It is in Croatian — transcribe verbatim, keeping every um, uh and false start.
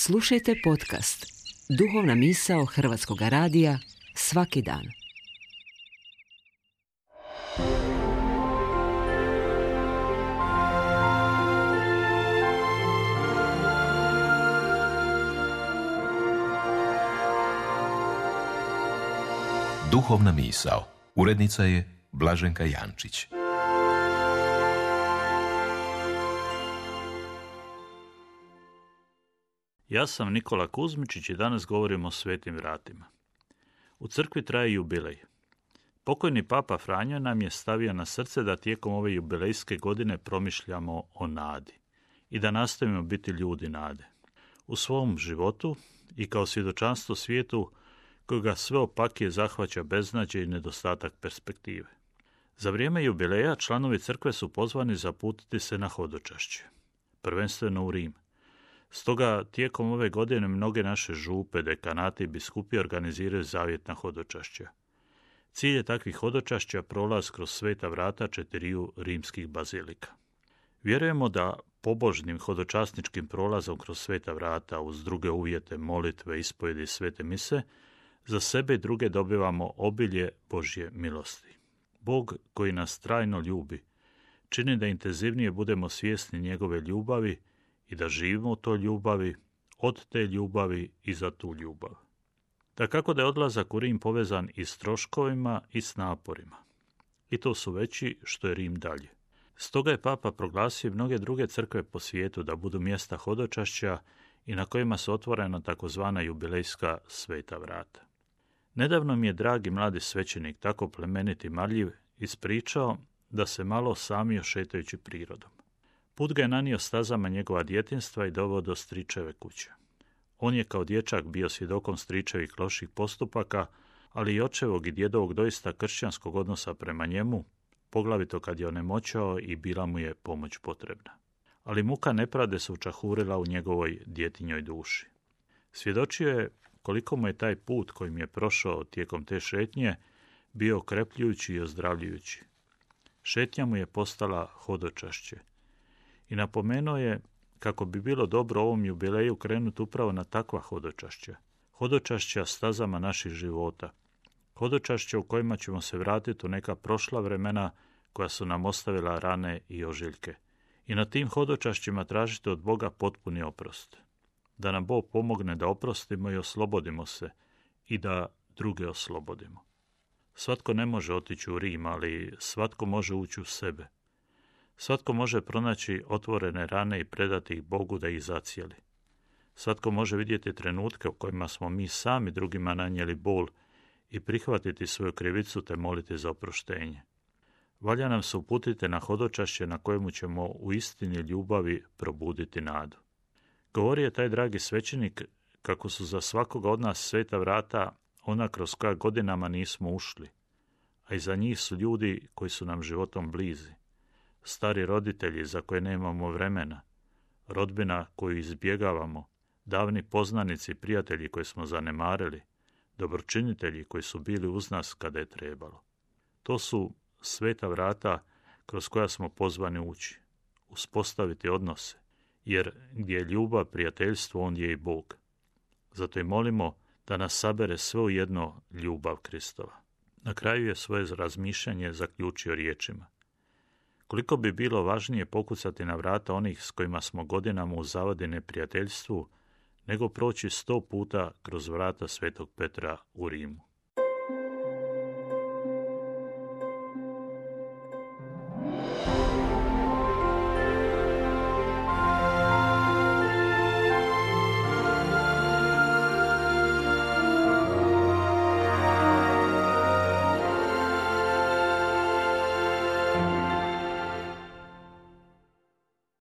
Slušajte podcast Duhovna misao Hrvatskog radija svaki dan. Duhovna misao. Urednica je Blaženka Jančić. Ja sam Nikola Kuzmičić i danas govorimo o svetim vratima. U crkvi traje jubilej. Pokojni papa Franjo nam je stavio na srce da tijekom ove jubilejske godine promišljamo o nadi i da nastavimo biti ljudi nade. U svom životu i kao svjedočanstvo svijetu kojega sve opakije zahvaća beznađe i nedostatak perspektive. Za vrijeme jubileja članovi crkve su pozvani zaputiti se na hodočašće, prvenstveno u Rim. Stoga tijekom ove godine mnoge naše župe, dekanati i biskupije organiziraju zavjetna hodočašća. Cilj je takvih hodočašća prolaz kroz sveta vrata četiriju rimskih bazilika. Vjerujemo da pobožnim hodočasničkim prolazom kroz sveta vrata uz druge uvjete, molitve, ispovjedi i svete mise za sebe i druge dobivamo obilje Božje milosti. Bog koji nas trajno ljubi čini da intenzivnije budemo svjesni njegove ljubavi i da živimo u toj ljubavi, od te ljubavi i za tu ljubav. Dakako da je odlazak u Rim povezan i s troškovima i s naporima. I to su veći što je Rim dalje. Stoga je papa proglasio mnoge druge crkve po svijetu da budu mjesta hodočašća i na kojima su otvorena takozvana jubilejska sveta vrata. Nedavno mi je dragi mladi svećenik, tako plemenit i marljiv, ispričao da se malo samio šetajući prirodom. Put ga je nanio stazama njegova djetinjstva i doveo do stričeve kuće. On je kao dječak bio svjedokom stričevih loših postupaka, ali i očevog i djedovog doista kršćanskog odnosa prema njemu, poglavito kad je onemoćao i bila mu je pomoć potrebna. Ali muka nepravde se učahurila u njegovoj djetinjoj duši. Svjedočio je koliko mu je taj put kojim je prošao tijekom te šetnje bio okrepljujući i ozdravljujući. Šetnja mu je postala hodočašće. I napomenuo je kako bi bilo dobro ovom jubileju krenuti upravo na takva hodočašća. Hodočašća stazama naših života. Hodočašća u kojima ćemo se vratiti u neka prošla vremena koja su nam ostavila rane i ožiljke. I na tim hodočašćima tražiti od Boga potpuni oprost. Da nam Bog pomogne da oprostimo i oslobodimo se i da druge oslobodimo. Svatko ne može otići u Rim, ali svatko može ući u sebe. Svatko može pronaći otvorene rane i predati ih Bogu da ih zacijeli. Svatko može vidjeti trenutke u kojima smo mi sami drugima nanijeli bol i prihvatiti svoju krivicu te moliti za oproštenje. Valja nam se uputiti na hodočašće na kojemu ćemo u istini ljubavi probuditi nadu. Govori je taj dragi svećenik kako su za svakoga od nas sveta vrata ona kroz koja godinama nismo ušli, a iza njih su ljudi koji su nam životom blizi. Stari roditelji za koje nemamo vremena, rodbina koju izbjegavamo, davni poznanici i prijatelji koje smo zanemarili, dobročinitelji koji su bili uz nas kada je trebalo. To su sveta vrata kroz koja smo pozvani ući, uspostaviti odnose, jer gdje je ljubav, prijateljstvo, on je i Bog. Zato i molimo da nas sabere sve u jedno ljubav Kristova. Na kraju je svoje razmišljanje zaključio riječima. Koliko bi bilo važnije pokucati na vrata onih s kojima smo godinama u zavadi neprijateljstvu, nego proći sto puta kroz vrata Svetog Petra u Rimu.